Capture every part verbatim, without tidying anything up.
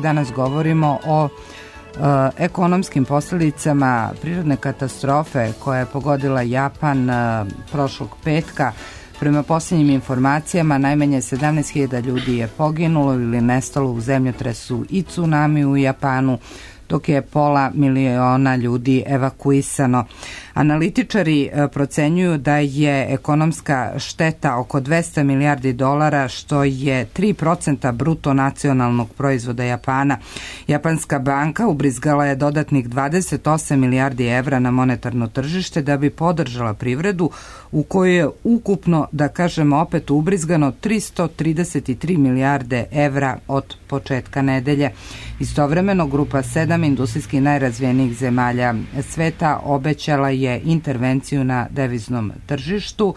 Danas govorimo o e, ekonomskim posljedicama prirodne katastrofe koja je pogodila Japan e, prošlog petka. Prema posljednjim informacijama, najmanje sedamnaest hiljada ljudi je poginulo ili nestalo u zemljotresu i tsunami u Japanu, dok je pola miliona ljudi evakuisano. Analitičari procenjuju da je ekonomska šteta oko dvesta milijardi dolara, što je tri procenta bruto nacionalnog proizvoda Japana. Japanska banka ubrizgala je dodatnih dvadeset osam milijardi evra na monetarno tržište da bi podržala privredu, u kojoj je ukupno, da kažemo opet, ubrizgano tristo trideset tri milijarde evra od početka nedelje. Istovremeno, grupa sedam industrijski najrazvijenijih zemalja sveta obećala je intervenciju na deviznom tržištu.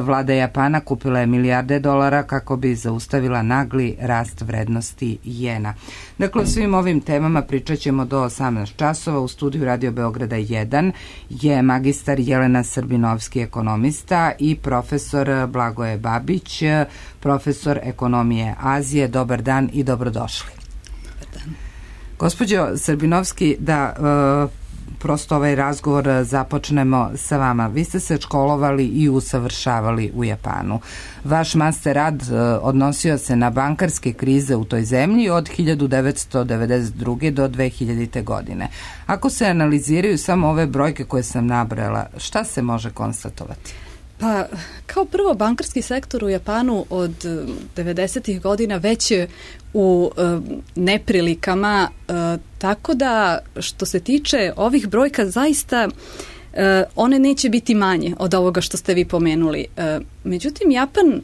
Vlada Japana kupila je milijarde dolara kako bi zaustavila nagli rast vrednosti jena. Dakle, o svim ovim temama pričat ćemo do osamnaest časova. U studiju Radio Beograda jedan je magistar Jelena Srbinovski, ekonomista, i profesor Blagoje Babić, profesor ekonomije Azije. Dobar dan i dobrodošli. Dobar dan. Gospođo Srbinovski, da e, prosto ovaj razgovor započnemo sa vama. Vi ste se školovali i usavršavali u Japanu. Vaš master rad odnosio se na bankarske krize u toj zemlji od hiljadu devetsto devedeset druge do dve hiljadite. godine. Ako se analiziraju samo ove brojke koje sam nabrala, šta se može konstatovati? Pa, kao prvo, bankarski sektor u Japanu od devedesetih godina već je u e, neprilikama, e, tako da što se tiče ovih brojka, zaista e, one neće biti manje od ovoga što ste vi pomenuli. E, međutim, Japan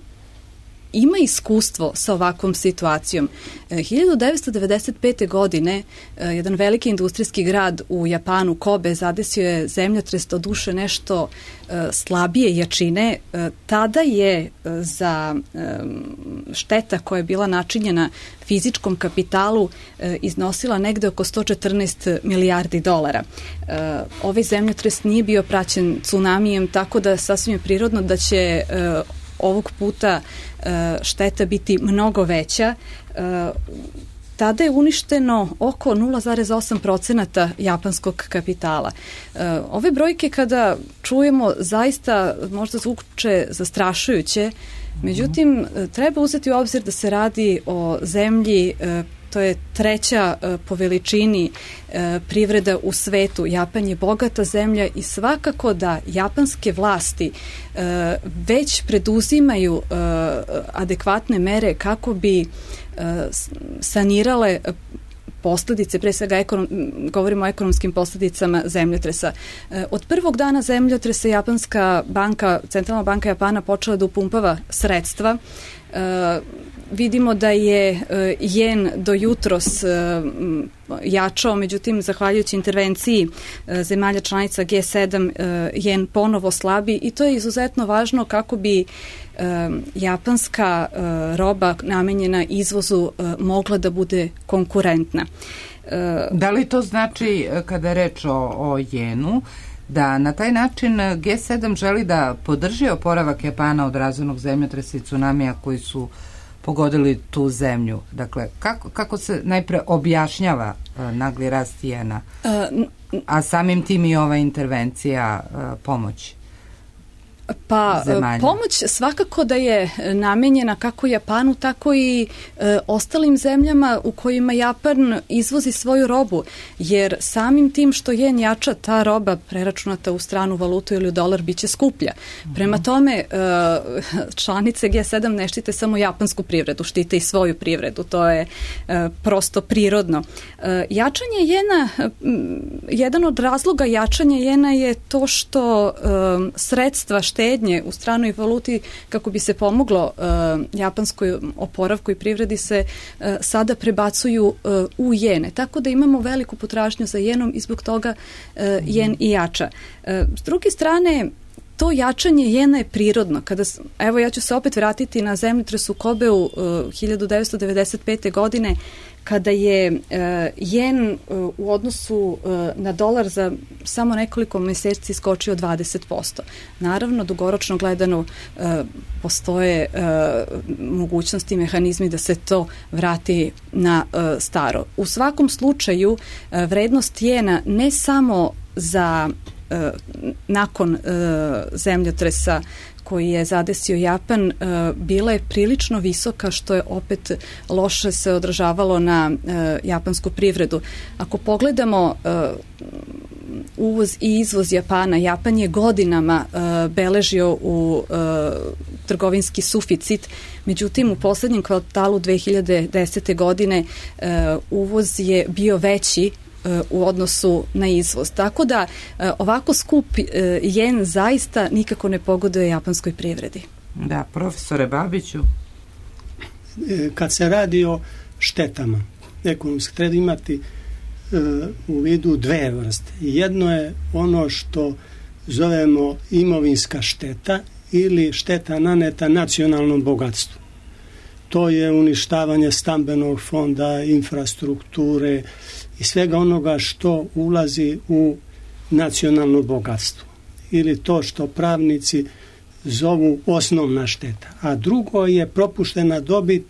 ima iskustvo sa ovakvom situacijom. hiljadu devetsto devedeset pete. godine jedan veliki industrijski grad u Japanu, Kobe, zadesio je zemljotres, do duše nešto slabije jačine. Tada je za šteta koja je bila načinjena fizičkom kapitalu iznosila negde oko sto četrnaest milijardi dolara. Ovaj zemljotres nije bio praćen tsunamijem, tako da sasvim je prirodno da će ovog puta šteta biti mnogo veća. Tada je uništeno oko nula zarez osam procenta japanskog kapitala. Ove brojke kada čujemo zaista možda zvuče zastrašujuće, međutim treba uzeti u obzir da se radi o zemlji, to je treća po veličini privreda u svetu. Japan je bogata zemlja i svakako da japanske vlasti već preduzimaju adekvatne mere kako bi sanirale posledice, pre svega ekonom, govorimo o ekonomskim posledicama zemljotresa. Od prvog dana zemljotresa Japanska banka, Centralna banka Japana počela da upumpava sredstva. Vidimo da je jen do jutros jačao, međutim, zahvaljujući intervenciji zemalja članica G sedam, jen ponovo slabi, i to je izuzetno važno kako bi japanska roba namenjena izvozu mogla da bude konkurentna. Da li to znači, kada je reč o, o jenu, da na taj način G sedam želi da podrži oporavak Japana od razornog zemljotresa i tsunamija koji su pogodili tu zemlju? Dakle, kako, kako se najpre objašnjava uh, nagli rast jena, a samim tim i ova intervencija uh, pomoći? Pa zemalja. Pomoć svakako da je namenjena kako Japanu, tako i e, ostalim zemljama u kojima Japan izvozi svoju robu, jer samim tim što jen jača, ta roba preračunata u stranu valutu ili u dolar biće skuplja. Prema tome, e, članice G sedam ne štite samo japansku privredu, štite i svoju privredu, to je e, prosto prirodno. E, jačanje jena, m, jedan od razloga jačanja jena je to što e, sredstva štednje u stranoj valuti, kako bi se pomoglo uh, japanskoj oporavku i privredi, se uh, sada prebacuju uh, u jene. Tako da imamo veliku potražnju za jenom i zbog toga uh, jen i jača. Uh, s druge strane, to jačanje jena je prirodno. Kada, evo, ja ću se opet vratiti na zemljotres u Kobeu uh, hiljadu devetsto devedeset pete. godine, kada je uh, jen uh, u odnosu uh, na dolar za samo nekoliko mjeseci skočio dvadeset posto. Naravno, dugoročno gledano uh, postoje uh, mogućnosti i mehanizmi da se to vrati na uh, staro. U svakom slučaju uh, vrednost jena ne samo za uh, nakon uh, zemljotresa koji je zadesio Japan, uh, bila je prilično visoka, što je opet loše se odražavalo na uh, japansku privredu. Ako pogledamo uh, uvoz i izvoz Japana, Japan je godinama uh, beležio u uh, trgovinski suficit, međutim u posljednjem kvartalu dve hiljade desete. godine uh, uvoz je bio veći u odnosu na izvoz. Tako da ovako skup jen zaista nikako ne pogoduje japanskoj privredi. Da, profesore Babiću. Kad se radi o štetama ekonomski, treba imati u vidu dve vrste. Jedno je ono što zovemo imovinska šteta ili šteta naneta nacionalnom bogatstvu. To je uništavanje stambenog fonda, infrastrukture i svega onoga što ulazi u nacionalno bogatstvo. Ili to što pravnici zovu osnovna šteta. A drugo je propuštena dobit,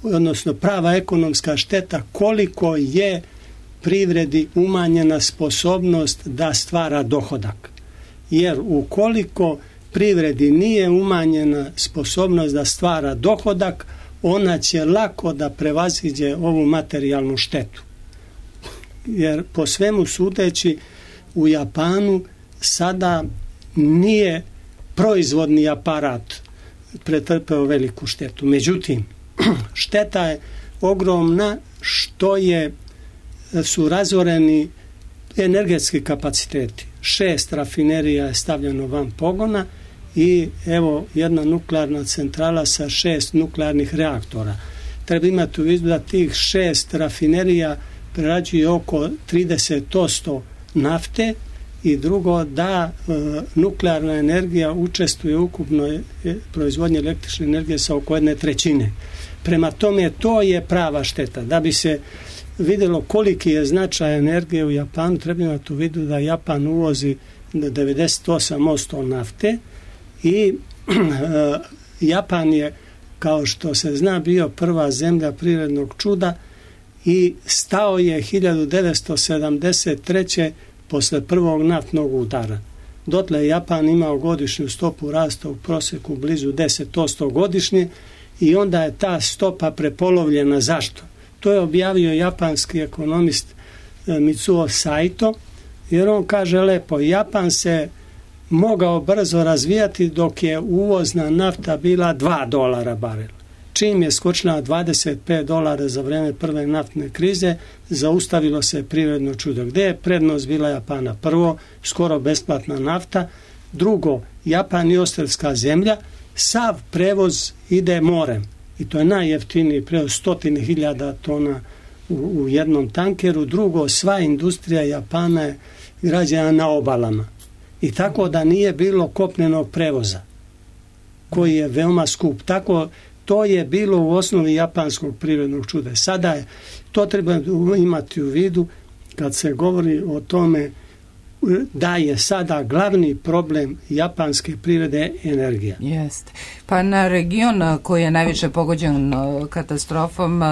odnosno prava ekonomska šteta, koliko je privredi umanjena sposobnost da stvara dohodak. Jer ukoliko privredi nije umanjena sposobnost da stvara dohodak, ona će lako da prevaziđe ovu materijalnu štetu. Jer po svemu sudeći u Japanu sada nije proizvodni aparat pretrpeo veliku štetu. Međutim, šteta je ogromna što je, su razoreni energetski kapaciteti. Šest rafinerija je stavljeno van pogona i evo jedna nuklearna centrala sa šest nuklearnih reaktora. Treba imati u vidu da tih šest rafinerija prerađuje oko trideset posto nafte i drugo da e, nuklearna energija učestvuje u ukupnoj proizvodnji električne energije sa oko jedne trećine. Prema tome to je prava šteta. Da bi se vidjelo koliki je značaj energije u Japanu, treba imati u vidu da Japan uvozi devedeset osam posto nafte i e, Japan je, kao što se zna, bio prva zemlja prirodnog čuda i stao je hiljadu devetsto sedamdeset treće posle prvog naftnog udara. Dotle je Japan imao godišnju stopu rasta u prosjeku blizu deset posto godišnje i onda je ta stopa prepolovljena. Zašto? To je objavio japanski ekonomist Mitsuo Saito, jer on kaže lepo, Japan se mogao brzo razvijati dok je uvozna nafta bila dva dolara barel. Čim je skočila dvadeset pet dolara za vrijeme prve naftne krize, zaustavilo se privredno čudo. Gdje je prednost bila Japana? Prvo, skoro besplatna nafta. Drugo, Japan je ostrvska zemlja. Sav prevoz ide morem. I to je najjeftiniji prevoz, stotine hiljada tona u, u jednom tankeru. Drugo, sva industrija Japana je građena na obalama. I tako da nije bilo kopnenog prevoza, koji je veoma skup. Tako to je bilo u osnovi japanskog privrednog čuda. Sada je, to treba imati u vidu kad se govori o tome da je sada glavni problem japanske privrede energija. Jeste. Pa na region koji je najviše pogođen katastrofom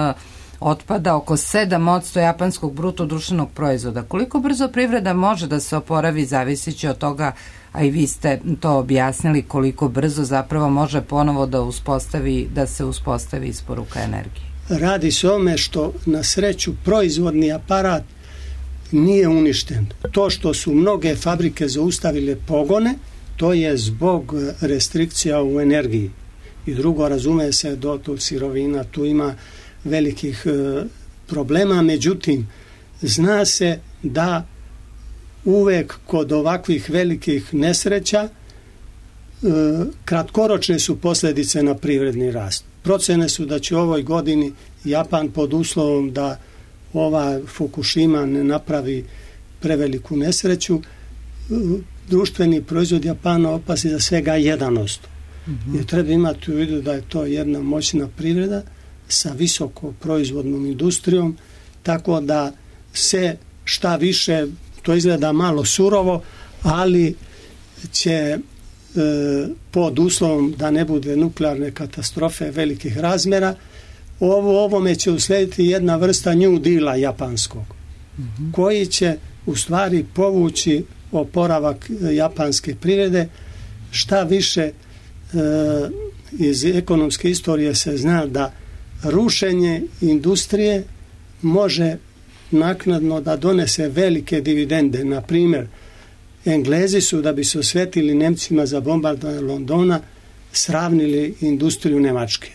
otpada oko sedam posto japanskog bruto društvenog proizvoda. Koliko brzo privreda može da se oporavi zavisići od toga, a i vi ste to objasnili, koliko brzo zapravo može ponovo da uspostavi, da se uspostavi isporuka energije? Radi se o tome što na sreću proizvodni aparat nije uništen. To što su mnoge fabrike zaustavile pogone, to je zbog restrikcija u energiji. I drugo, razume se, dotok sirovina, tu ima velikih e, problema, međutim, zna se da uvek kod ovakvih velikih nesreća e, kratkoročne su posljedice na privredni rast. Procene su da će u ovoj godini Japan, pod uslovom da ova Fukushima ne napravi preveliku nesreću, e, društveni proizvod Japana opasti za svega jedan posto. Mm-hmm. I treba imati u vidu da je to jedna moćna privreda sa visoko proizvodnom industrijom, tako da se šta više, to izgleda malo surovo, ali će e, pod uslovom da ne bude nuklearne katastrofe velikih razmjera, ovo, ovome će uslediti jedna vrsta New Deala japanskog, mm-hmm. koji će u stvari povući oporavak japanske privrede. Šta više, e, iz ekonomske istorije se zna da rušenje industrije može naknadno da donese velike dividende. Na primjer, Englezi su, da bi se osvetili Nemcima za bombardovanje Londona, sravnili industriju Nemačke.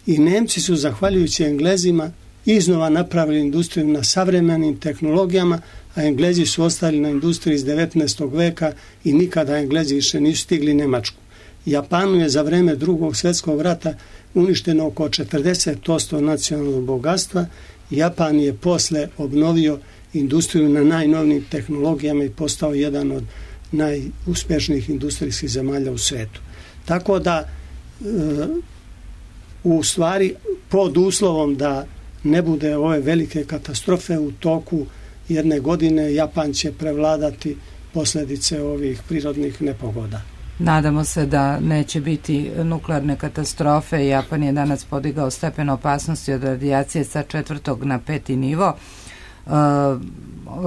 I Nemci su, zahvaljujući Englezima, iznova napravili industriju na savremenim tehnologijama, a Englezi su ostali na industriji iz devetnaestog veka i nikada Englezi više nisu stigli Nemačku. Japanu je za vreme Drugog svjetskog rata uništeno oko četrdeset posto nacionalnog bogatstva. Japan je posle obnovio industriju na najnovnijim tehnologijama i postao jedan od najuspješnijih industrijskih zemalja u svijetu. Tako da, e, u stvari, pod uslovom da ne bude ove velike katastrofe u toku jedne godine, Japan će prevladati posljedice ovih prirodnih nepogoda. Nadamo se da neće biti nuklearne katastrofe. Japan je danas podigao stepen opasnosti od radijacije sa četvrtog na peti nivo. Uh,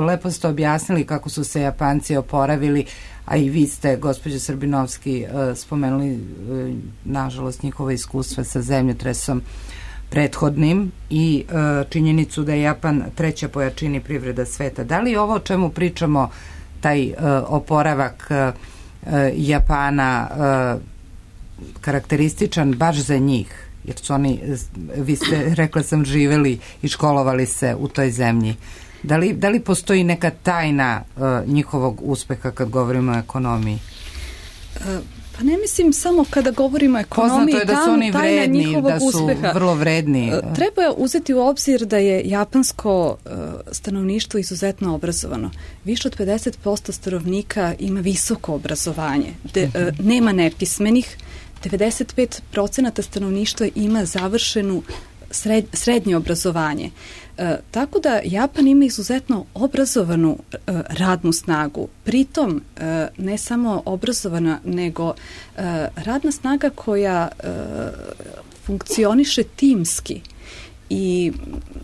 lepo ste objasnili kako su se Japanci oporavili, a i vi ste, gospođo Srbinovski, uh, spomenuli uh, nažalost njihova iskustva sa zemljotresom prethodnim i uh, činjenicu da je Japan treća po jačini privreda sveta. Da li ovo o čemu pričamo, taj uh, oporavak uh, Japana uh, karakterističan baš za njih, jer su oni, vi ste, rekla sam, živeli i školovali se u toj zemlji. Da li, da li postoji neka tajna uh, njihovog uspeha kad govorimo o ekonomiji? Uh, pa ne mislim samo kada govorimo o ekonomiji. Poznato je da su oni vredni, da su uspeha. vrlo vredni. Uh, treba uzeti u obzir da je japansko uh, stanovništvo izuzetno obrazovano. Više od pedeset posto stanovnika ima visoko obrazovanje. De, uh, nema nepismenih. devedeset pet procenata stanovništva ima završenu sred, srednje obrazovanje. E, tako da Japan ima izuzetno obrazovanu e, radnu snagu. Pritom e, ne samo obrazovana, nego e, radna snaga koja e, funkcioniše timski. I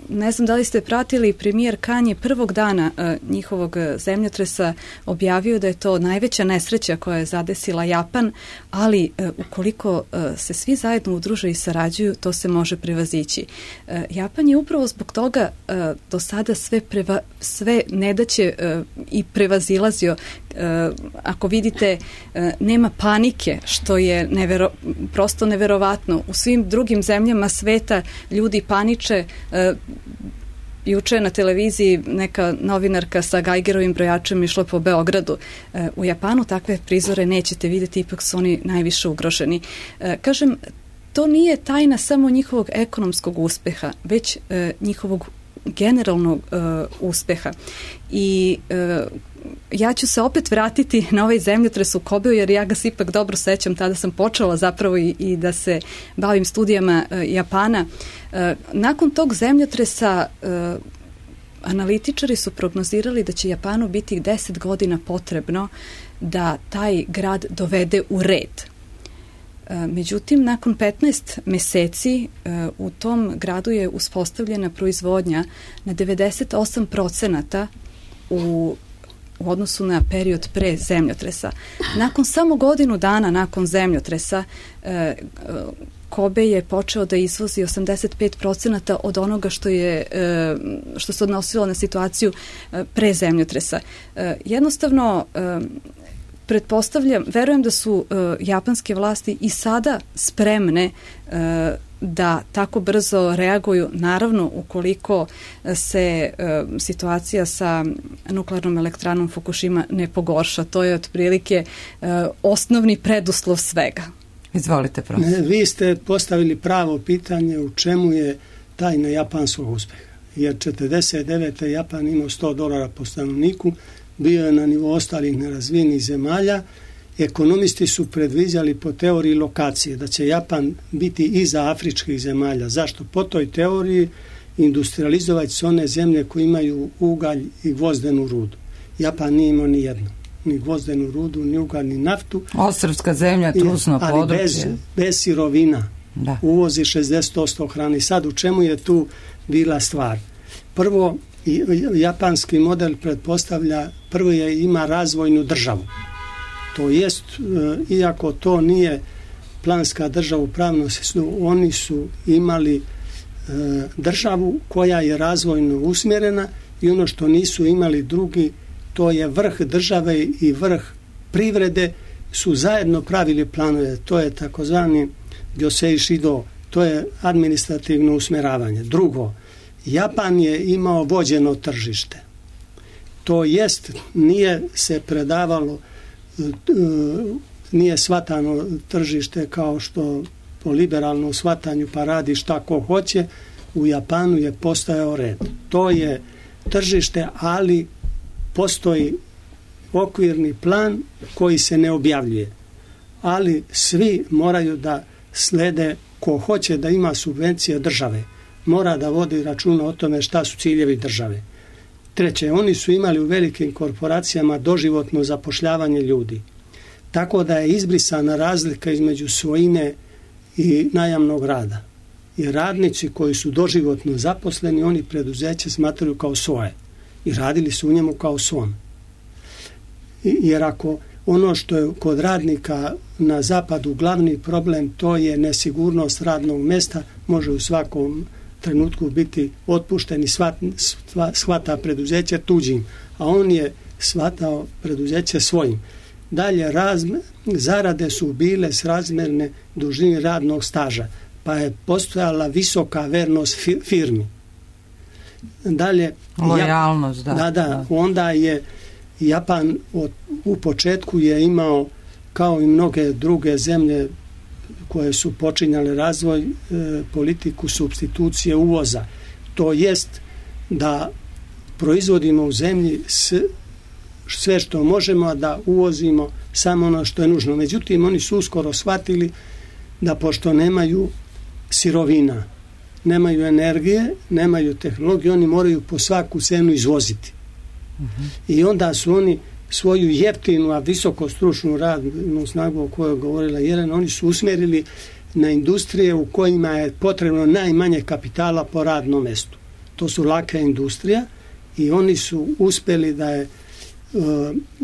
ne znam da li ste pratili, premijer Kan je prvog dana uh, njihovog zemljotresa objavio da je to najveća nesreća koja je zadesila Japan, ali uh, ukoliko uh, se svi zajedno udruže i sarađuju, to se može prevazići. Uh, Japan je upravo zbog toga uh, do sada sve, preva, sve nedaće uh, i prevazilazio. Uh, ako vidite, uh, nema panike, što je nevero, prosto neverovatno. U svim drugim zemljama sveta ljudi paniče. Uh, juče na televiziji neka novinarka sa Geigerovim brojačem išla po Beogradu. Uh, u Japanu takve prizore nećete vidjeti, ipak su oni najviše ugroženi. Uh, kažem, to nije tajna samo njihovog ekonomskog uspeha, već uh, njihovog generalnog uh, uspeha. I uh, ja ću se opet vratiti na ovaj zemljotres u Kobeu, jer ja ga se ipak dobro sećam, tada sam počela zapravo i, i da se bavim studijama uh, Japana. Uh, nakon tog zemljotresa uh, analitičari su prognozirali da će Japanu biti deset godina potrebno da taj grad dovede u red. Međutim, nakon petnaest meseci u tom gradu je uspostavljena proizvodnja na devedeset osam procenata u, u odnosu na period pre zemljotresa. Nakon samo godinu dana nakon zemljotresa Kobe je počeo da izvozi osamdeset pet procenata od onoga što je što se odnosilo na situaciju pre zemljotresa. Jednostavno, pretpostavljam, verujem da su uh, japanske vlasti i sada spremne uh, da tako brzo reaguju, naravno ukoliko se uh, situacija sa nuklearnom elektranom Fukushima ne pogorša. To je otprilike uh, osnovni preduslov svega. Izvolite, profesor. Vi ste postavili pravo pitanje u čemu je tajna japanskog uspeha. Jer četrdeset devete Japan imao sto dolara po stanovniku, bio je na nivou ostalih nerazvijenih zemalja. Ekonomisti su predviđali po teoriji lokacije da će Japan biti iza afričkih zemalja. Zašto? Po toj teoriji industrializovati se one zemlje koje imaju ugalj i gvozdenu rudu. Japan nije imao ni jedno. Ni gvozdenu rudu, ni ugalj, ni naftu. Ostrvska zemlja, trusno ali područje. Bez, bez sirovina. Da. Uvozi šezdeset posto hrane. Sad u čemu je tu bila stvar? Prvo, japanski model pretpostavlja, prvo je ima razvojnu državu. To jest, iako to nije planska država u pravnom smislu, oni su imali e, državu koja je razvojno usmjerena i ono što nisu imali drugi, to je vrh države i vrh privrede su zajedno pravili planove. To je takozvani Gyosei Shido, to je administrativno usmjeravanje. Drugo, Japan je imao vođeno tržište. To jest, nije se predavalo, nije shvatano tržište kao što po liberalnom shvatanju pa radi šta ko hoće. U Japanu je postojao red. To je tržište, ali postoji okvirni plan koji se ne objavljuje. Ali svi moraju da slede, ko hoće da ima subvencije države, mora da vodi računa o tome šta su ciljevi države. Treće, oni su imali u velikim korporacijama doživotno zapošljavanje ljudi. Tako da je izbrisana razlika između svojine i najamnog rada. I radnici koji su doživotno zaposleni, oni preduzeće smatraju kao svoje. I radili su u njemu kao svom. Jer ako ono što je kod radnika na zapadu glavni problem, to je nesigurnost radnog mjesta, može u svakom trenutku biti otpušten i shvata preduzeće tuđim, a on je shvatao preduzeće svojim. Dalje, razme, zarade su bile srazmjerne dužini radnog staža, pa je postojala visoka vernost firmi. Dalje, lojalnost, da, da, da, onda je Japan od, u početku je imao, kao i mnoge druge zemlje koje su počinjale razvoj, e, politiku supstitucije uvoza. To jest da proizvodimo u zemlji s, sve što možemo, a da uvozimo samo ono što je nužno. Međutim, oni su uskoro shvatili da pošto nemaju sirovina, nemaju energije, nemaju tehnologije, oni moraju po svaku cenu izvoziti. Uh-huh. I onda su oni svoju jeftinu, a visoko stručnu radnu snagu o kojoj je govorila Jelena, oni su usmjerili na industrije u kojima je potrebno najmanje kapitala po radnom mjestu. To su laka industrija i oni su uspjeli da je uh,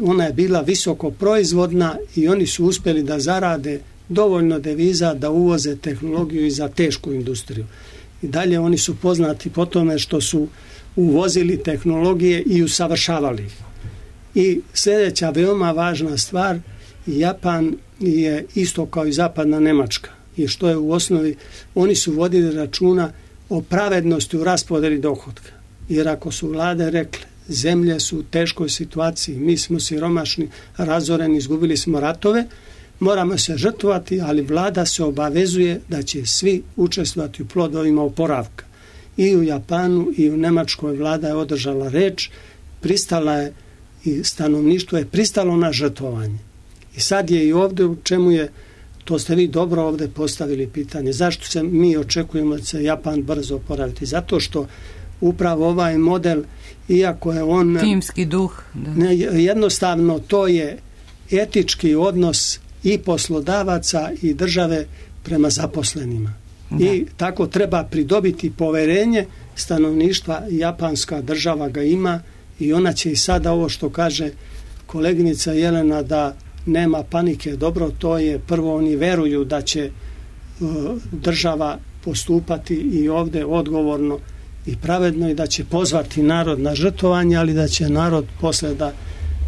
ona je bila visoko proizvodna i oni su uspjeli da zarade dovoljno deviza da uvoze tehnologiju i za tešku industriju. I dalje oni su poznati po tome što su uvozili tehnologije i usavršavali ih. I sljedeća veoma važna stvar, Japan je isto kao i zapadna Njemačka. I što je u osnovi, oni su vodili računa o pravednosti u raspodjeli dohotka. Jer ako su vlade rekle, zemlje su u teškoj situaciji, mi smo siromašni, razoreni, izgubili smo ratove, moramo se žrtvovati, ali vlada se obavezuje da će svi učestvovati u plodovima oporavka. I u Japanu i u Njemačkoj vlada je održala reč, pristala je i stanovništvo je pristalo na žrtvovanje. I sad je i ovdje u čemu je, to ste vi dobro ovdje postavili pitanje, zašto se mi očekujemo da se Japan brzo oporaviti? Zato što upravo ovaj model, iako je on timski duh, da. Ne, jednostavno to je etički odnos i poslodavaca i države prema zaposlenima. Da. I tako treba pridobiti poverenje stanovništva. Japanska država ga ima i ona će i sada ovo što kaže koleginica Jelena da nema panike, dobro, to je prvo, oni veruju da će uh, država postupati i ovdje odgovorno i pravedno i da će pozvati narod na žrtvovanje, ali da će narod posle da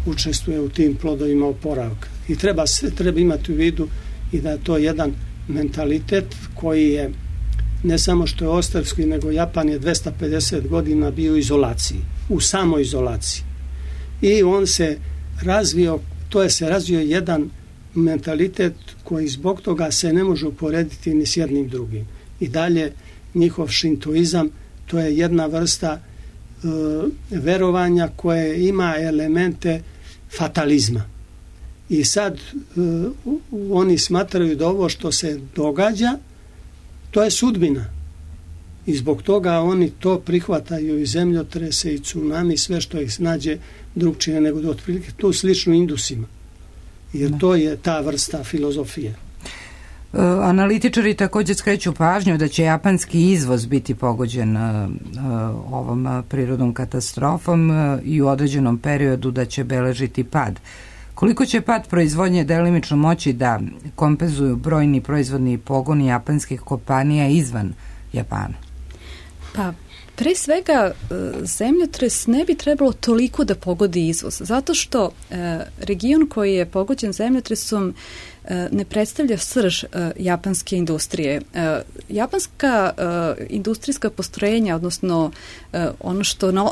učestvuje u tim plodovima oporavka. I treba, treba imati u vidu i da je to jedan mentalitet koji je ne samo što je ostrvski, nego Japan je dvesta pedeset godina bio u izolaciji, u samoizolaciji. I on se razvio, to je se razvio jedan mentalitet koji zbog toga se ne može uporediti ni s jednim drugim. I dalje njihov šintoizam, to je jedna vrsta e, verovanja koje ima elemente fatalizma. I sad uh, oni smatraju da ovo što se događa, to je sudbina. I zbog toga oni to prihvataju i zemljotrese i tsunami, sve što ih snađe drugčije nego da otprilike tu slično Indusima. Jer to je ta vrsta filozofije. Uh, analitičari također skreću pažnju da će japanski izvoz biti pogođen uh, uh, ovom uh, prirodnom katastrofom uh, i u određenom periodu da će beležiti pad. Koliko će pad proizvodnje delimično moći da kompenzuju brojni proizvodni pogoni japanskih kompanija izvan Japana? Pa, pre svega, zemljotres ne bi trebalo toliko da pogodi izvoz, zato što e, region koji je pogođen zemljotresom e, ne predstavlja srž e, japanske industrije. E, japanska e, industrijska postrojenja, odnosno e, ono što, no,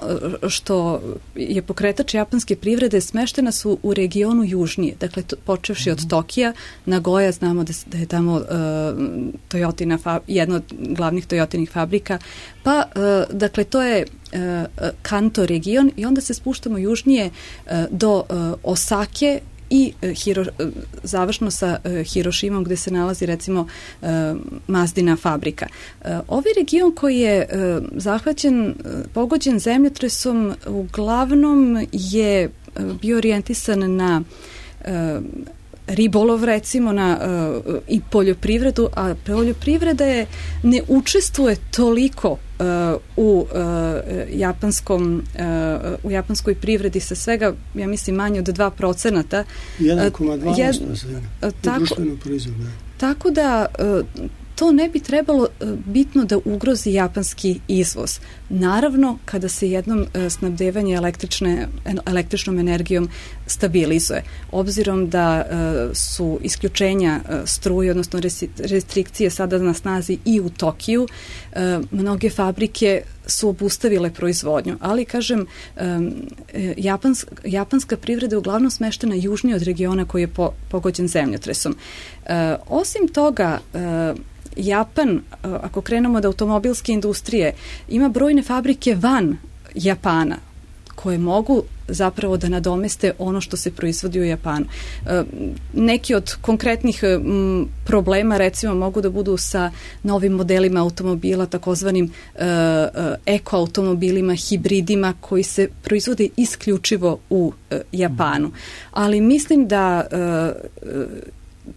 što je pokretač japanske privrede, smeštena su u regionu južnije, dakle to, počevši od Tokija, Nagoja, znamo da, da je tamo e, Toyotina, fa, jedna od glavnih Toyotinih fabrika, pa e, dakle to je e, Kanto region i onda se spuštamo južnije e, do e, Osake i e, Hiro, e, završno sa e, Hirošimom gde se nalazi recimo e, Mazdina fabrika. E, ovaj region koji je e, zahvaćen, e, pogođen zemljotresom uglavnom je e, bio orijentisan na e, ribolov recimo na uh, i poljoprivredu, a poljoprivreda je ne učestvuje toliko uh, u uh, japanskom uh, u japanskoj privredi sa svega, ja mislim, manje od dva procenta. jedan zarez dva posto društvenog proizvoda. Tako da uh, to ne bi trebalo uh, bitno da ugrozi japanski izvoz. Naravno, kada se jednom uh, snabdevanje električne, električnom energijom stabilizuje. Obzirom da uh, su isključenja uh, struje, odnosno restrikcije sada na snazi i u Tokiju, uh, mnoge fabrike su obustavile proizvodnju, ali kažem, um, japanska, japanska privreda je uglavnom smeštena južnije od regiona koji je po, pogođen zemljotresom. Uh, osim toga, uh, Japan, ako krenemo od automobilske industrije, ima brojne fabrike van Japana koje mogu zapravo da nadomeste ono što se proizvodi u Japanu. E, neki od konkretnih m, problema recimo mogu da budu sa novim modelima automobila, takozvanim e, e, ekoautomobilima, hibridima koji se proizvode isključivo u e, Japanu. Ali mislim da e,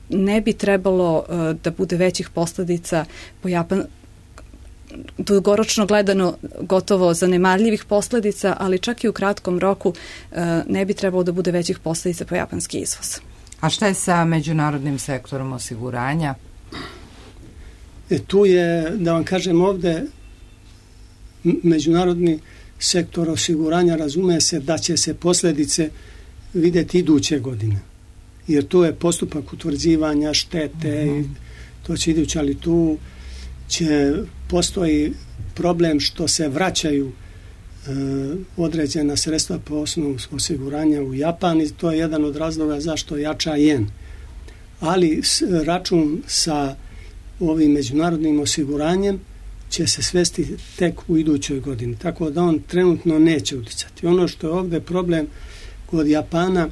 ne bi trebalo uh, da bude većih posljedica po Japan, dugoročno gledano gotovo zanemarljivih posljedica, ali čak i u kratkom roku uh, ne bi trebalo da bude većih posljedica po japanski izvoz. A šta je sa međunarodnim sektorom osiguranja? E, tu je, da vam kažem ovde, međunarodni sektor osiguranja razume se da će se posljedice vidjeti iduće godine. Jer to je postupak utvrđivanja štete i to će idući, ali tu će postoji problem što se vraćaju e, određena sredstva po osnovu osiguranja u Japan i to je jedan od razloga zašto jača jen. Ali s, račun sa ovim međunarodnim osiguranjem će se svesti tek u idućoj godini, tako da on trenutno neće uticati. Ono što je ovdje problem kod Japana,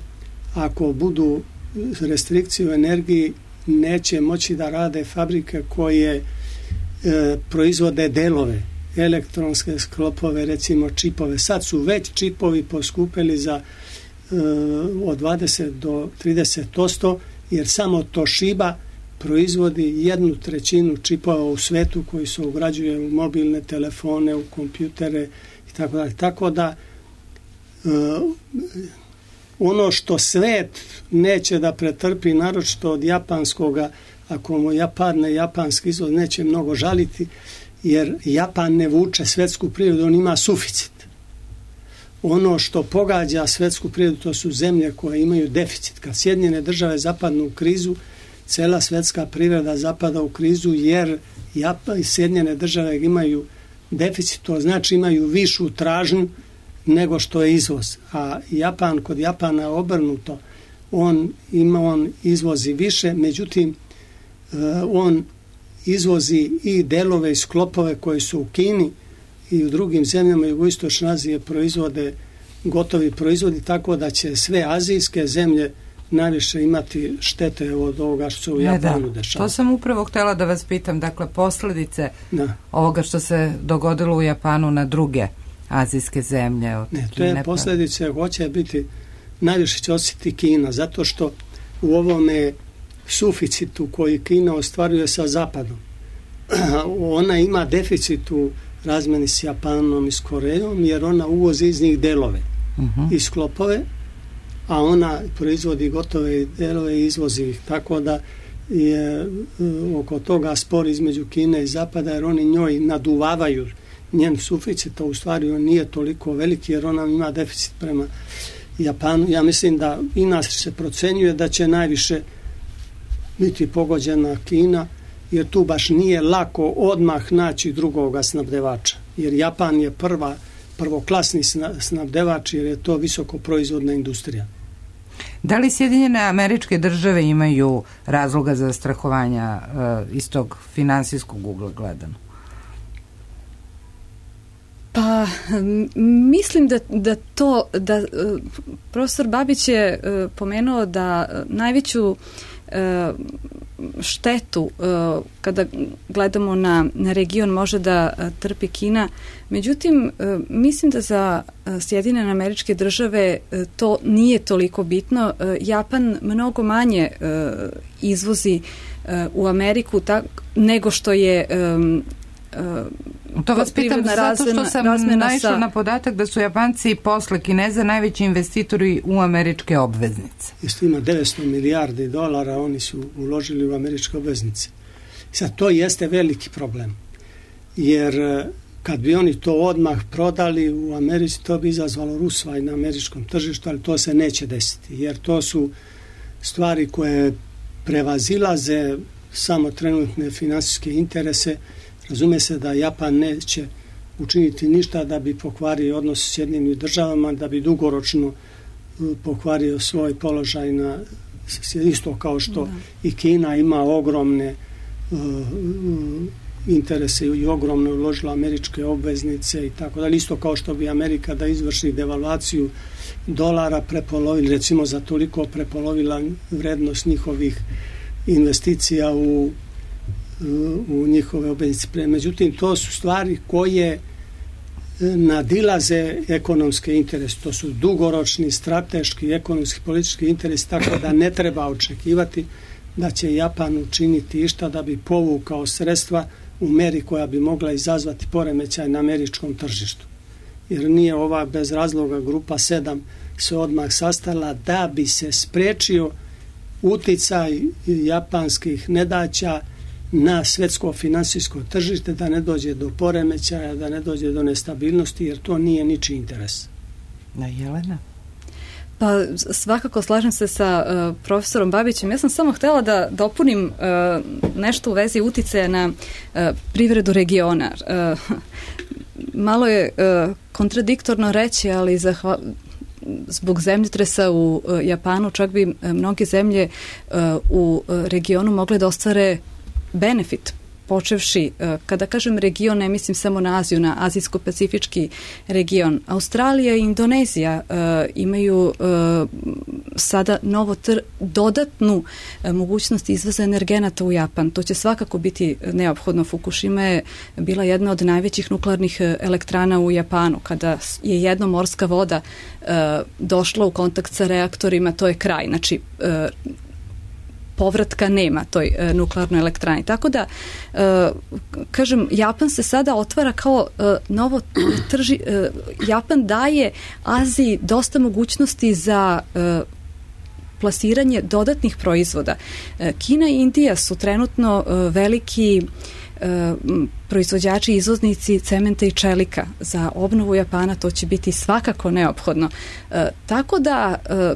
ako budu restrikcije u energiji, neće moći da rade fabrike koje e, proizvode delove, elektronske sklopove, recimo čipove. Sad su već čipovi poskupeli za e, od dvadeset do trideset posto, jer samo Toshiba proizvodi jednu trećinu čipova u svetu koji se ugrađuje u mobilne telefone, u kompjutere i tako dalje. Tako da e, ono što svet neće da pretrpi, naročito od japanskoga, ako mu Japan, japanski izvoz neće mnogo žaliti, jer Japan ne vuče svetsku privredu, on ima suficit. Ono što pogađa svetsku privredu, to su zemlje koje imaju deficit. Kad Sjedinjene države zapadnu u krizu, cela svetska privreda zapada u krizu, jer Japan i Sjedinjene države imaju deficit, to znači imaju višu tražnju nego što je izvoz. A Japan, kod Japana je obrnuto. On ima, on izvozi više, međutim, on izvozi i delove i sklopove koji su u Kini i u drugim zemljama jugoistočne Azije proizvode gotovi proizvodi, tako da će sve azijske zemlje najviše imati štete od ovoga što se u Japanu dešava. To sam upravo htjela da vas pitam, dakle posljedice da. ovoga što se dogodilo u Japanu na druge azijske zemlje. Ne, to je neprav... posljedice hoće biti, najviše će osjetiti Kina, zato što u ovome suficitu koji Kina ostvaruje sa Zapadom, ona ima deficit u razmeni s Japanom i s Korejom, jer ona uvozi iz njih delove uh-huh. i sklopove, a ona proizvodi gotove delove i izvozi ih, tako da je oko toga spor između Kine i Zapada, jer oni njoj naduvavaju njen suficit, a u stvari on nije toliko veliki, jer ona ima deficit prema Japanu. Ja mislim da i nas se procenjuje da će najviše biti pogođena Kina, jer tu baš nije lako odmah naći drugoga snabdevača, jer Japan je prva, prvoklasni snabdevač, jer je to visoko proizvodna industrija. Da li Sjedinjene Američke Države imaju razloga za strahovanja uh, iz tog finansijskog ugla gledano? Pa mislim da, da to da uh, profesor Babić je uh, pomenuo da uh, najveću uh, štetu uh, kada gledamo na, na region može da uh, trpi Kina. Međutim, uh, mislim da za uh, Sjedinjene Američke Države uh, to nije toliko bitno. Uh, Japan mnogo manje uh, izvozi uh, u Ameriku tak, nego što je um, Uh, to vas pitam zato što sam naišla sa... na podatak da su Japanci posle Kineza najveći investitori u američke obveznice. Isto ima devetsto milijardi dolara, oni su uložili u američke obveznice. Sad, to jeste veliki problem, jer kad bi oni to odmah prodali u Americi, to bi izazvalo rusvaj na američkom tržištu, ali to se neće desiti, jer to su stvari koje prevazilaze samo trenutne finansijske interese. Razume se da Japan neće učiniti ništa da bi pokvario odnos s Sjedinjenim Državama, da bi dugoročno pokvario svoj položaj na isto kao što da. I Kina ima ogromne uh, interese i ogromno uložila američke obveznice i tako dalje, isto kao što bi Amerika da izvrši devalvaciju dolara prepolovila, recimo za toliko prepolovila vrednost njihovih investicija u u njihove obveznice. Međutim, to su stvari koje nadilaze ekonomske interese. To su dugoročni, strateški, ekonomski, politički interesi, tako da ne treba očekivati da će Japan učiniti išta da bi povukao sredstva u meri koja bi mogla izazvati poremećaj na američkom tržištu. Jer nije ova bez razloga grupa sedam se odmah sastala da bi se spriječio uticaj japanskih nedaća na svetsko finansijsko tržište, da ne dođe do poremećaja, da ne dođe do nestabilnosti, jer to nije ničiji interes. Na Jelena? Pa svakako slažem se sa uh, profesorom Babićem. Ja sam samo htjela da dopunim uh, nešto u vezi uticaja na uh, privredu regiona. Uh, malo je uh, kontradiktorno reći, ali zahva, zbog zemljotresa u uh, Japanu čak bi uh, mnoge zemlje uh, u uh, regionu mogle da ostvare benefit, počevši, kada kažem region, ne mislim samo na Aziju, na azijsko-pacifički region. Australija i Indonezija uh, imaju uh, sada novo tr- dodatnu uh, mogućnost izvoza energenata u Japan. To će svakako biti neophodno. Fukushima je bila jedna od najvećih nuklearnih elektrana u Japanu. Kada je jedna morska voda uh, došla u kontakt sa reaktorima, to je kraj. Znači, uh, povratka nema toj e, nuklearnoj elektrani. Tako da, e, kažem, Japan se sada otvara kao e, novo trži... E, Japan daje Aziji dosta mogućnosti za e, plasiranje dodatnih proizvoda. E, Kina i Indija su trenutno e, veliki e, proizvođači i izvoznici cementa i čelika. Za obnovu Japana to će biti svakako neophodno. E, tako da e,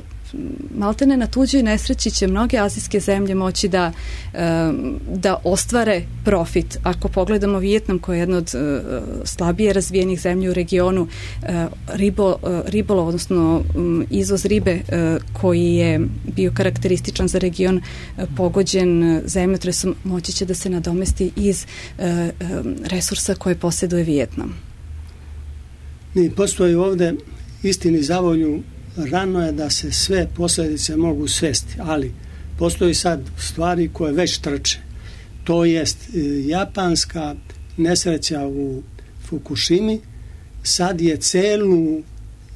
maltene na tuđoj nesreći će mnoge azijske zemlje moći da, da ostvare profit. Ako pogledamo Vijetnam koji je jedna od slabije razvijenih zemlji u regionu, ribo, ribolov, odnosno izvoz ribe koji je bio karakterističan za region pogođen zemljotresom, moći će da se nadomesti iz resursa koje posjeduje Vijetnam. Ne, postoji ovde istini za volju rano je da se sve posljedice mogu svesti, ali postoji sad stvari koje već trče. To jest japanska nesreća u Fukushimi sad je celu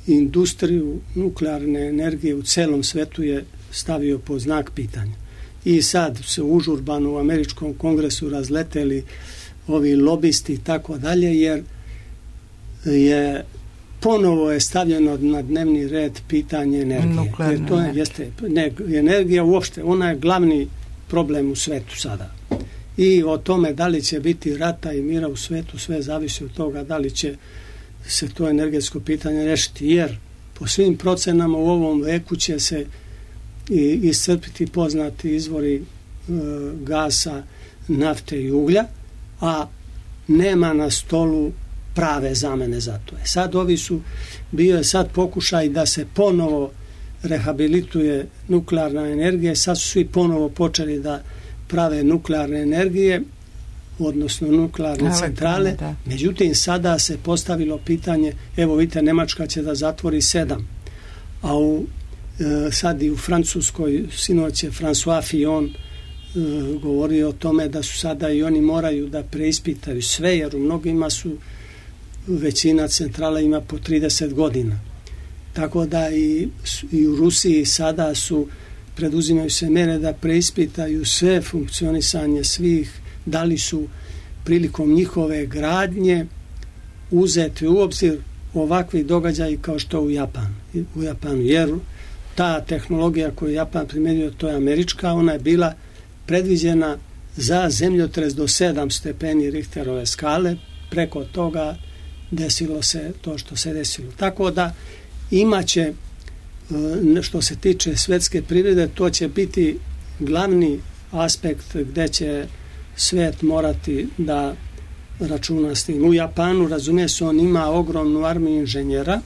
industriju nuklearne energije u celom svetu je stavio pod znak pitanja. I sad se užurbano u američkom kongresu razleteli ovi lobisti i tako dalje, jer je ponovo je stavljeno na dnevni red pitanje energije. Jer to je, jeste, ne, energija uopšte, ona je glavni problem u svetu sada. I o tome da li će biti rata i mira u svetu, sve zavisi od toga da li će se to energetsko pitanje rešiti, jer po svim procenama u ovom veku će se i iscrpiti poznati izvori e, gasa, nafte i uglja, a nema na stolu prave zamene za to. E sad ovi su, bio je sad pokušaj da se ponovo rehabilituje nuklearna energija, sad su svi ponovo počeli da prave nuklearne energije, odnosno nuklearne Ale, centrale, da. Međutim sada se postavilo pitanje, evo vidite, Nemačka će da zatvori sedam, a u, e, sad i u Francuskoj sinoć je François Fillon e, govorio o tome da su sada i oni moraju da preispitaju sve, jer u mnogima su većina centrala ima po trideset godina. Tako da i, i u Rusiji sada su preduzimaju se mere da preispitaju sve funkcionisanje svih, da li su prilikom njihove gradnje uzeti u obzir ovakvi događaji kao što u Japanu. U Japanu, jer ta tehnologija koju Japan primjenjuje, to je američka, ona je bila predviđena za zemljotres do sedam stepeni Richterove skale, preko toga desilo se to što se desilo. Tako da imaće, što se tiče svetske privrede, to će biti glavni aspekt gde će svet morati da računa s tim. U Japanu, razumije se, on ima ogromnu armiju inženjera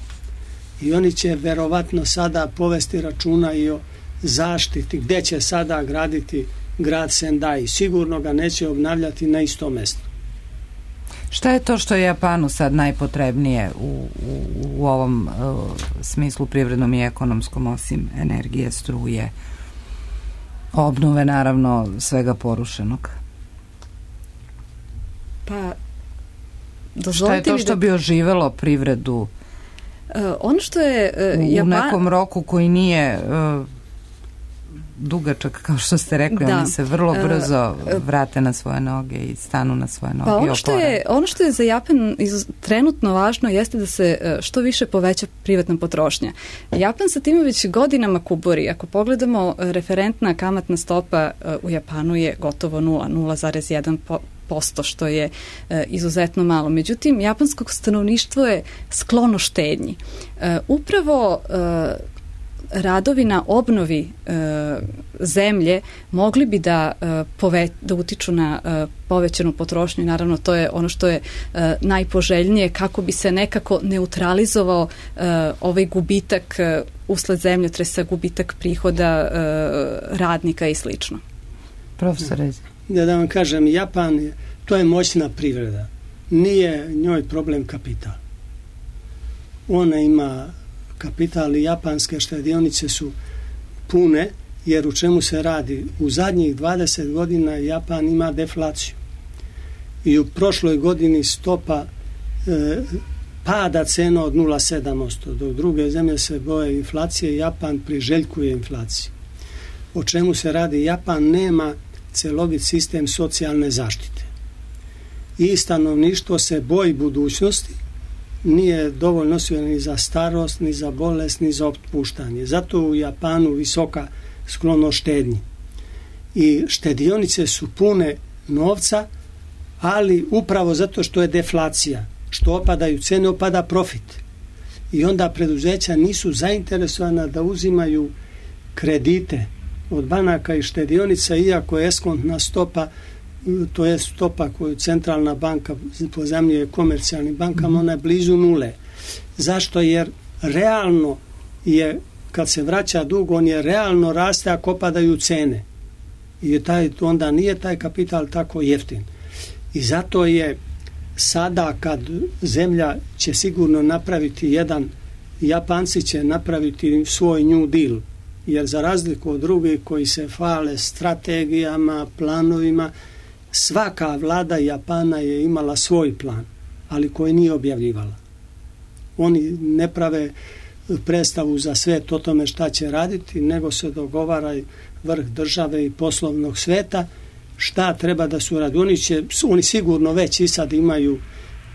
i oni će verovatno sada povesti računa i o zaštiti, gde će sada graditi grad Sendai. Sigurno ga neće obnavljati na isto mesto. Šta je to što je Japanu sad najpotrebnije u, u, u ovom uh, smislu privrednom i ekonomskom, osim energije, struje, obnove, naravno, svega porušenog? Pa, šta je to što bi oživelo privredu uh, ono što je uh, u Japan... nekom roku koji nije uh, dugačak, kao što ste rekli, da. Oni se vrlo brzo vrate na svoje noge i stanu na svoje noge. Pa ono što je, ono što je za Japan iz, trenutno važno jeste da se što više poveća privatna potrošnja. Japan sa time već godinama kuburi. Ako pogledamo, referentna kamatna stopa u Japanu je gotovo nula, nula zarez jedan posto, što je e, izuzetno malo. Međutim, japansko stanovništvo je sklono štednji. E, upravo e, radovi na obnovi e, zemlje mogli bi da, e, pove, da utiču na e, povećanu potrošnju. Naravno, to je ono što je e, najpoželjnije, kako bi se nekako neutralizovao e, ovaj gubitak e, usled zemljotresa, gubitak prihoda e, radnika i slično. Profesor Rezi. Da, da vam kažem, Japan je, to je moćna privreda. Nije njoj problem kapital. Ona ima kapital i japanske štedionice su pune, jer u čemu se radi? U zadnjih dvadeset godina Japan ima deflaciju. I u prošloj godini stopa e, pada cena od nula zarez sedam posto, dok druge zemlje se boje inflacije, Japan priželjkuje inflaciju. O čemu se radi? Japan nema celovit sistem socijalne zaštite. I stanovništvo se boji budućnosti, nije dovoljno osiguran ni za starost, ni za bolest, ni za otpuštanje. Zato u Japanu visoka sklonost štednji. I štedionice su pune novca, ali upravo zato što je deflacija, što opadaju cene, opada profit. I onda preduzeća nisu zainteresovana da uzimaju kredite od banaka i štedionica, iako je eskontna stopa, to je stopa koju centralna banka pozajmljuje komercijalnim bankama, ona je blizu nule. Zašto? Jer realno je, kad se vraća dug, on je realno raste ako opadaju cene. I taj, onda nije taj kapital tako jeftin. I zato je sada, kad zemlja će sigurno napraviti jedan Japanci će napraviti svoj New Deal, jer za razliku od drugih koji se hvale strategijama, planovima, svaka vlada Japana je imala svoj plan, ali koji nije objavljivala. Oni ne prave predstavu za svet o tome šta će raditi, nego se dogovara vrh države i poslovnog sveta šta treba da su radi. Oni, će, oni sigurno već i sad imaju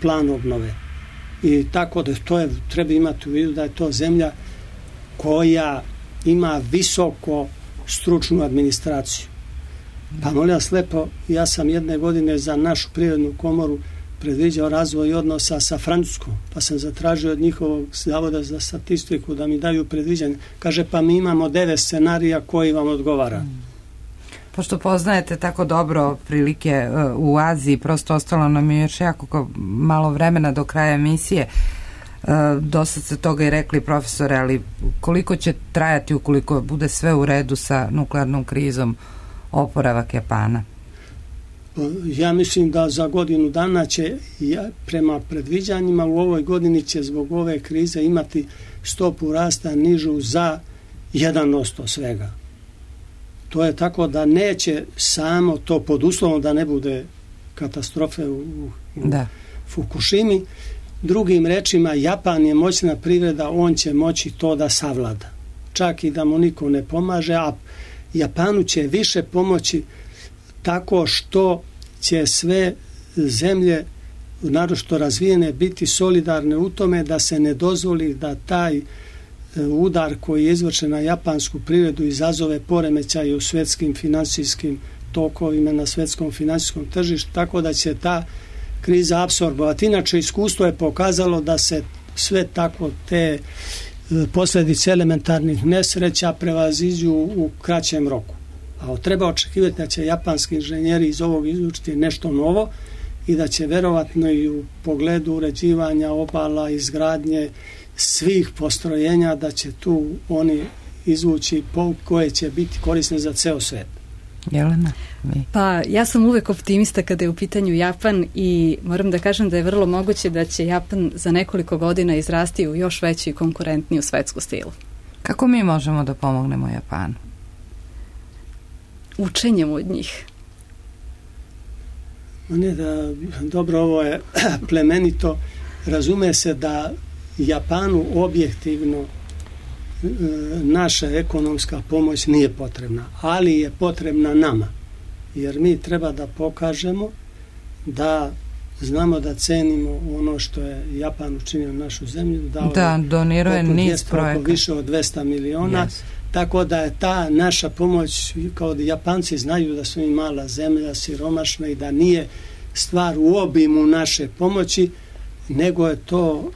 plan obnove. I tako da to je, treba imati u vidu da je to zemlja koja ima visoko stručnu administraciju. Pa molim vas lepo, ja sam jedne godine za našu privrednu komoru predviđao razvoj odnosa sa Francuskom, pa sam zatražio od njihovog zavoda za statistiku da mi daju predviđanje. Kaže, pa mi imamo devet scenarija koji vam odgovara. Pošto poznajete tako dobro prilike u Aziji, prosto ostalo nam je još jako malo vremena do kraja emisije. Dosta ste toga i rekli, profesore, ali koliko će trajati ukoliko bude sve u redu sa nuklearnom krizom oporavak Japana? Ja mislim da za godinu dana će, prema predviđanjima, u ovoj godini će zbog ove krize imati stopu rasta nižu za jedan posto svega. To je tako da neće samo to, pod uslovom da ne bude katastrofe u, u da. Fukushimi. Drugim rečima, Japan je moćna privreda, on će moći to da savlada. Čak i da mu niko ne pomaže, a Japanu će više pomoći tako što će sve zemlje, naročito razvijene, biti solidarne u tome da se ne dozvoli da taj udar koji je izvršen na japansku privredu izazove poremećaje u svetskim finansijskim tokovima, na svetskom finansijskom tržištu, tako da će ta kriza apsorbovati. Inače, iskustvo je pokazalo da se sve tako te posljedice elementarnih nesreća prevaziđu u kraćem roku. A treba očekivati da će japanski inženjeri iz ovog izvučiti nešto novo i da će verovatno i u pogledu uređivanja obala, izgradnje svih postrojenja, da će tu oni izvući pouke koje će biti korisne za ceo svet. Jelena? Mi. Pa ja sam uvek optimista kada je u pitanju Japan i moram da kažem da je vrlo moguće da će Japan za nekoliko godina izrasti u još veću i konkurentniju svetsku stilu. Kako mi možemo da pomognemo Japanu? Učenjem od njih. Ne da, dobro, ovo je plemenito. Razume se da Japanu objektivno naša ekonomska pomoć nije potrebna, ali je potrebna nama, jer mi treba da pokažemo da znamo da cenimo ono što je Japan učinio našu zemlju, da, da donirao je niz projekata, više od dvesta miliona, yes. Tako da je ta naša pomoć, kao da Japanci znaju da su im mala zemlja, siromašna i da nije stvar u obimu naše pomoći, nego je to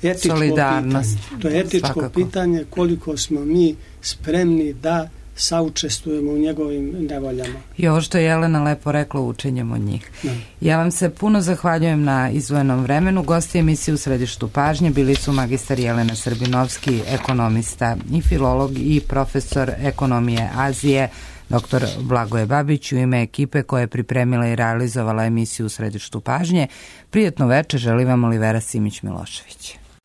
etičko solidarnost. Pitanje. To je etičko Svakako. Pitanje koliko smo mi spremni da saučestvujemo u njegovim nevoljama. I ovo što je Jelena lepo rekla, učenjem od njih. Da. Ja vam se puno zahvaljujem na izdvojenom vremenu. Gosti emisije U središtu pažnje bili su magistar Jelena Srbinovski, ekonomista i filolog i profesor ekonomije Azije, doktor Blagoje Babić. U ime ekipe koja je pripremila i realizovala emisiju U središtu pažnje, prijatno večer želi vam Olivera Simić-Milošević.